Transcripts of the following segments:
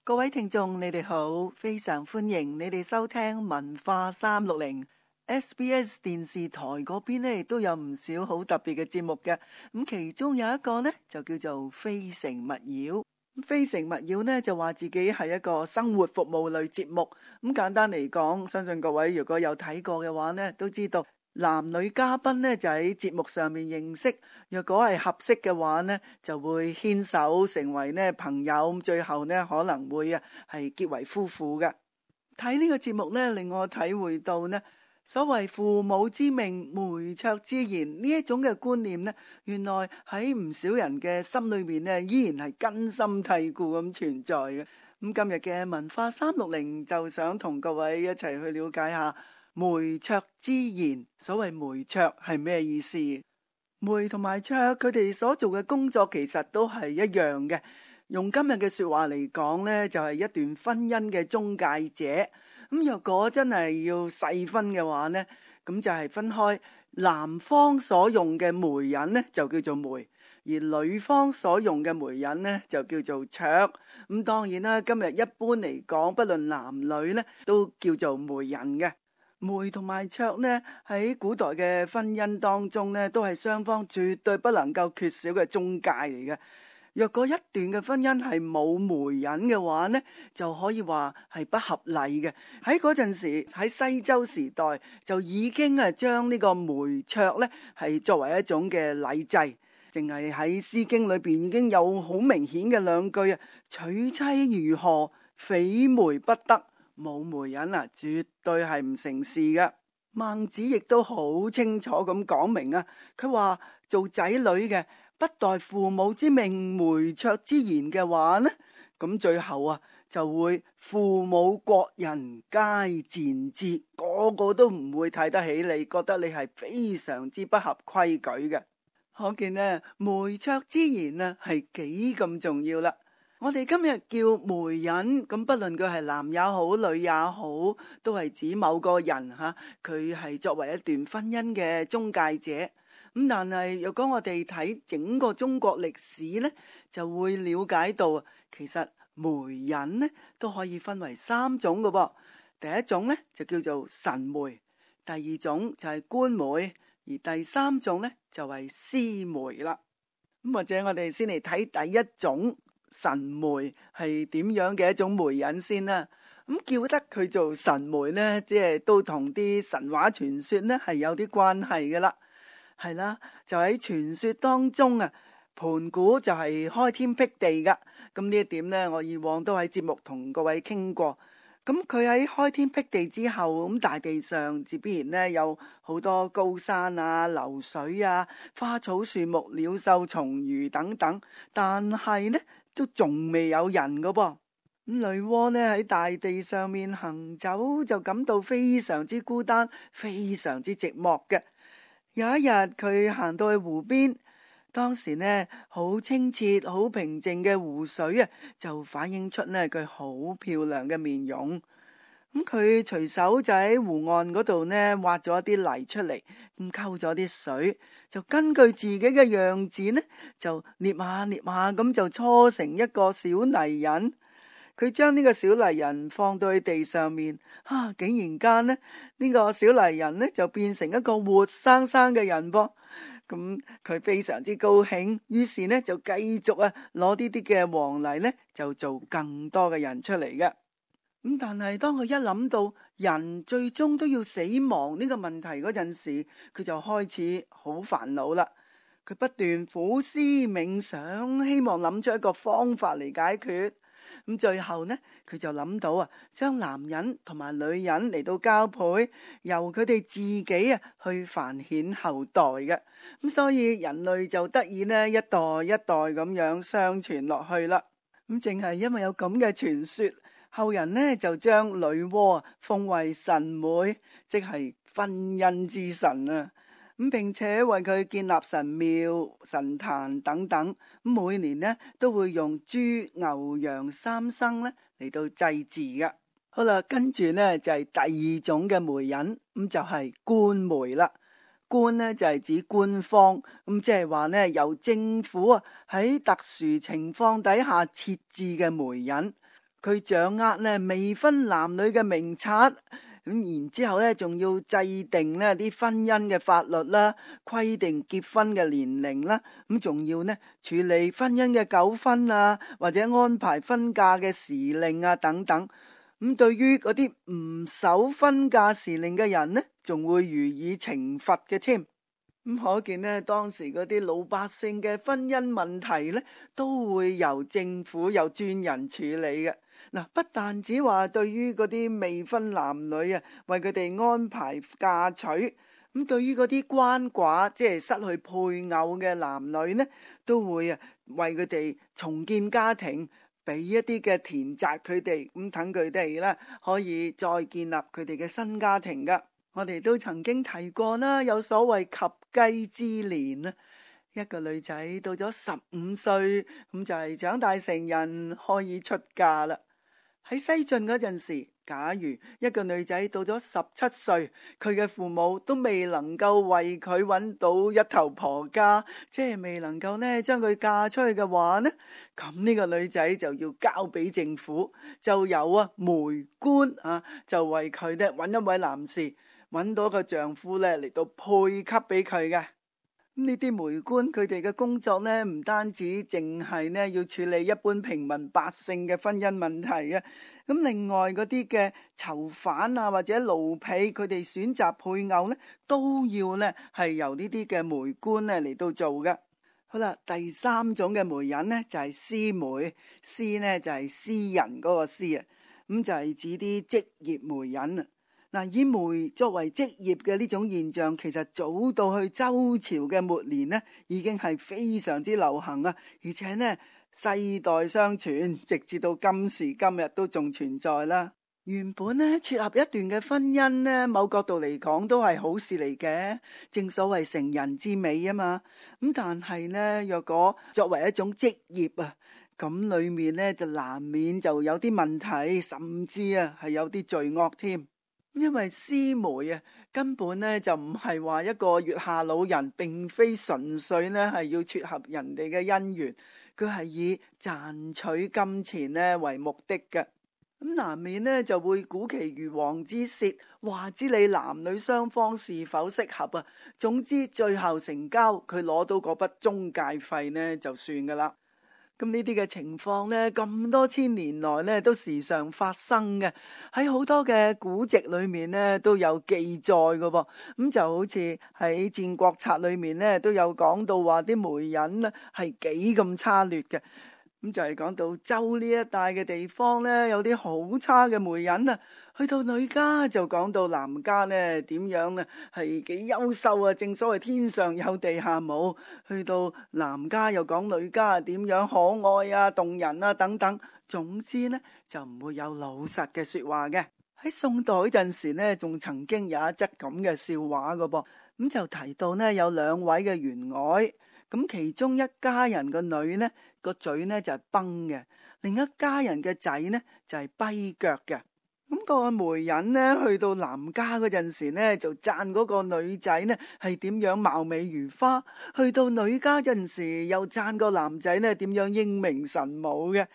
各位聽眾，你哋好，非常歡迎你哋收聽文化360。SBS 電視台嗰邊呢都有唔少好特別嘅節目嘅，咁其中有一個呢就叫做非誠勿擾。非誠勿擾呢就話自己係一個生活服務類節目，咁簡單嚟講，相信各位如果有睇過嘅話呢，都知道男女嘉賓呢就喺節目上面認識，若果係合適嘅話呢，就會牽手成為呢朋友，最後呢可能會係結為夫婦嘅。睇呢個節目呢，令我體會到呢所謂父母之命，媒妁之言呢一種嘅觀念呢，原來喺唔少人嘅心裏面呢，依然係根深蒂固咁存在嘅。咁今日嘅文化360就想同各位一齊去了解下媒妁之言。所謂媒妁係咩意思？媒同埋妁佢哋所做嘅工作其實都係一樣嘅。用今日嘅說話嚟講呢，就係一段婚姻嘅中介者。咁若果真係要細分嘅話呢，咁就係分開男方所用嘅媒人呢，就叫做媒，而女方所用嘅媒人呢，就叫做妁。咁當然啦，今日一般嚟講，不論男女呢，都叫做媒人嘅。媒同埋妁呢，喺古代嘅婚姻當中呢，都係雙方絕對不能夠缺少嘅中介嚟嘅。若果一段嘅婚姻係冇媒人嘅話呢，就可以話係不合禮嘅。喺嗰陣時，喺西周時代就已經將呢個媒妁呢係作為一種嘅禮制，淨係喺《詩經》裏邊已經有好明顯嘅兩句啊：娶妻如何，非媒不得。冇媒人絕對係唔成事嘅。孟子亦都好清楚咁講明啊，佢話做仔女嘅，不待父母之命，媒妁之言嘅話呢，咁最後就會父母國人皆賤之，個個都唔會睇得起你，覺得你係非常之不合規矩嘅。可見呢，媒妁之言係幾咁重要啦。我哋今日叫媒人，咁不論佢係男也好，女也好，都係指某個人佢係作為一段婚姻嘅中介者。咁但係如果我哋睇整個中國歷史呢，就會了解到其實媒人呢都可以分為3種嘅噃。第一種呢就叫做神媒，第二種就係官媒，而第3種呢就係私媒啦。咁或者我哋先嚟睇第一種神媒係點樣嘅一種媒人先啦。咁叫得佢做神媒呢，即係都同啲神話傳說呢係有啲關係嘅啦。係啦，就喺傳說當中盤古就係開天辟地噶。咁呢一點呢，我以往都喺節目同各位傾過。咁佢喺開天辟地之後，咁大地上自必然呢有好多高山流水花草樹木、鳥獸蟲魚等等，但係呢都仲未有人噶噃。咁女媧呢喺大地上面行走，就感到非常之孤單，非常之寂寞嘅。有一日佢行到去湖邊，當時呢好清澈好平靜嘅湖水就反映出呢佢好漂亮嘅面容。咁佢隨手就喺湖岸嗰度呢挖咗一啲泥出嚟，咁溝咗啲水，就根據自己嘅樣子呢就捏下咁就搓成一個小泥人。佢將呢個小泥人放到去地上面，竟然間呢個小泥人呢就變成一個活生生嘅人噃。咁佢非常之高興，於是呢就繼續攞啲嘅黃泥呢就做更多嘅人出嚟嘅。咁但係當佢一諗到人最終都要死亡呢個問題嗰陣時，佢就開始好煩惱啦。佢不斷苦思冥想，希望諗出一個方法嚟解決。咁最後呢，佢就諗到將男人同埋女人嚟到交配，由佢哋自己去繁衍後代嘅。咁所以人類就得以呢一代一代咁樣相傳落去啦。咁正係因為有咁嘅傳說，後人呢就將女媧奉為神媒，即係婚姻之神啊。咁並且為佢建立神廟、神壇等等，每年呢都會用豬、牛、羊3牲呢嚟到祭祀噶。好啦，跟住呢就係第二種嘅媒人，咁就係官媒啦。官呢就係指官方，咁即係話呢由政府喺特殊情況底下設置嘅媒人。佢掌握呢未婚男女嘅名冊，咁然之後呢仲要制定呢啲婚姻嘅法律啦，規定結婚嘅年齡啦，咁仲要呢處理婚姻嘅糾紛啊，或者安排婚嫁嘅時令啊等等。咁對於嗰啲唔守婚嫁時令嘅人呢，仲會予以懲罰嘅添。咁可見呢，當時嗰啲老百姓嘅婚姻問題呢，都會由政府有專人處理嘅。嗱，不但只話對於嗰啲未婚男女啊，為佢哋安排嫁娶，咁對於嗰啲鰥寡，即係失去配偶嘅男女呢，都會啊為佢哋重建家庭，俾一啲嘅田宅佢哋，咁等佢哋呢可以再建立佢哋嘅新家庭噶。我哋都曾經提過啦，有所謂及笄之年啊，一個女仔到咗15歲，咁就係長大成人，可以出嫁啦。喺西晉嗰陣時，假如一個女仔到咗17歲，佢嘅父母都未能夠為佢揾到一頭婆家，即係未能夠呢將佢嫁出去嘅話呢，咁呢個女仔就要交俾政府，就有媒官就為佢呢揾一位男士，揾到個丈夫呢嚟到配給俾佢嘅。呢啲媒官佢哋嘅工作呢，唔單止淨係呢要處理一般平民百姓嘅婚姻問題嘅，咁另外嗰啲嘅囚犯啊或者奴婢，佢哋選擇配偶呢，都要呢係由呢啲嘅媒官呢嚟到做嘅。好啦，第三種嘅媒人呢，就係私媒，私呢就係私人嗰個私啊，咁就係指啲職業媒人啊。嗱，以媒作為職業嘅呢種現象，其實早到去周朝嘅末年呢，已經係非常之流行啊！而且呢，世代相傳，直至到今時今日都仲存在啦。原本呢，撮合一段嘅婚姻呢，某角度嚟講都係好事嚟嘅，正所謂成人之美啊嘛。咁但係呢，若果作為一種職業啊，咁裏面呢就難免就有啲問題，甚至係有啲罪惡添。因為私媒啊，根本呢就唔係話一個月下老人，並非純粹呢係要撮合人哋嘅姻緣，佢係以賺取金錢呢為目的嘅。咁難免呢就會鼓其如簧之舌，話知你男女雙方是否適合啊。總之最後成交，佢攞到嗰筆中介費呢就算噶啦。咁呢啲嘅情況呢，咁多千年來呢都時常發生嘅，喺好多嘅古籍裏面呢都有記載嘅噃。咁就好似喺《戰國策》裏面呢都有講到話啲媒人呢係幾咁差劣嘅。咁就係講到周呢一帶嘅地方呢，有啲好差嘅媒人啊。去到女家就講到男家呢點樣呢係幾優秀啊，正所謂天上有地下冇。去到男家又講女家點樣可愛啊、動人啊等等。總之呢就唔會有老實嘅說話嘅。喺宋代嗰陣時呢，仲曾經有一則咁嘅笑話噶噃。咁就提到呢有兩位嘅員外，咁其中一家人個女呢個嘴呢就係崩嘅，另一家人嘅仔呢就係跛腳嘅。咁個媒人呢去到男家嗰陣時呢，就讚嗰個女仔呢係點樣貌美如花；去到女家嗰陣時，又讚個男仔呢點樣英明神武嘅。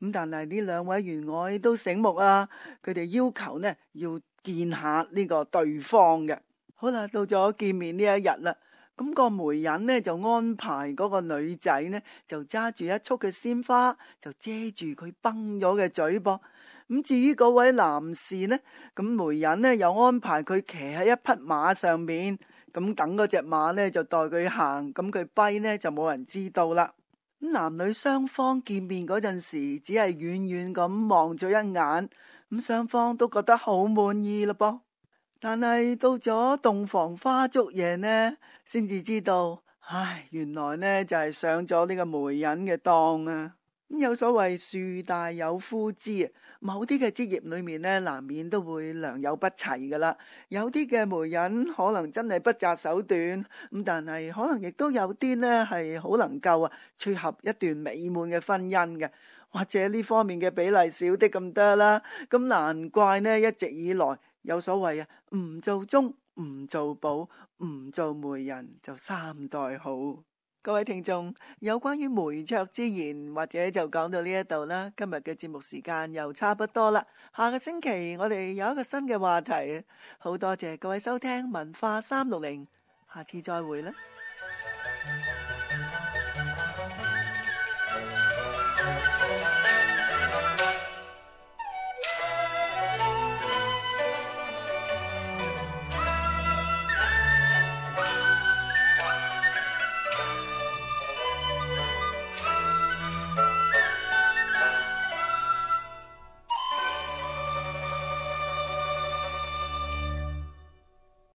咁但係呢兩位員外都醒目啊，佢哋要求呢要見下呢個對方嘅。好啦，到咗見面呢一日啦。咁個媒人呢就安排嗰個女仔呢就揸住一束嘅鮮花，就遮住佢崩咗嘅嘴噃。咁至於嗰位男士呢，咁媒人呢又安排佢騎喺一匹馬上面，咁等嗰隻馬呢就代佢行，咁佢跛呢就冇人知道啦。咁男女雙方見面嗰陣時，只係遠遠咁望咗一眼，咁雙方都覺得好滿意咯噃。但係到咗洞房花燭夜呢，先至知道，原來呢就係上咗呢個媒人嘅當啊！有所謂樹大有枯枝啊，某啲嘅職業裏面呢，難免都會良莠不齊噶啦。有啲嘅媒人可能真係不擇手段，咁但係可能亦都有啲呢係好能夠撮合一段美滿嘅婚姻嘅，或者呢方面嘅比例少啲咁多啦。咁難怪呢一直以來有所謂唔做中，唔做保，唔做媒人就三代好。各位聽眾，有關於媒妁之言，或者就講到呢一度啦。今日嘅節目時間又差不多啦。下個星期我哋有一個新嘅話題，好多謝各位收聽文化360，下次再會啦。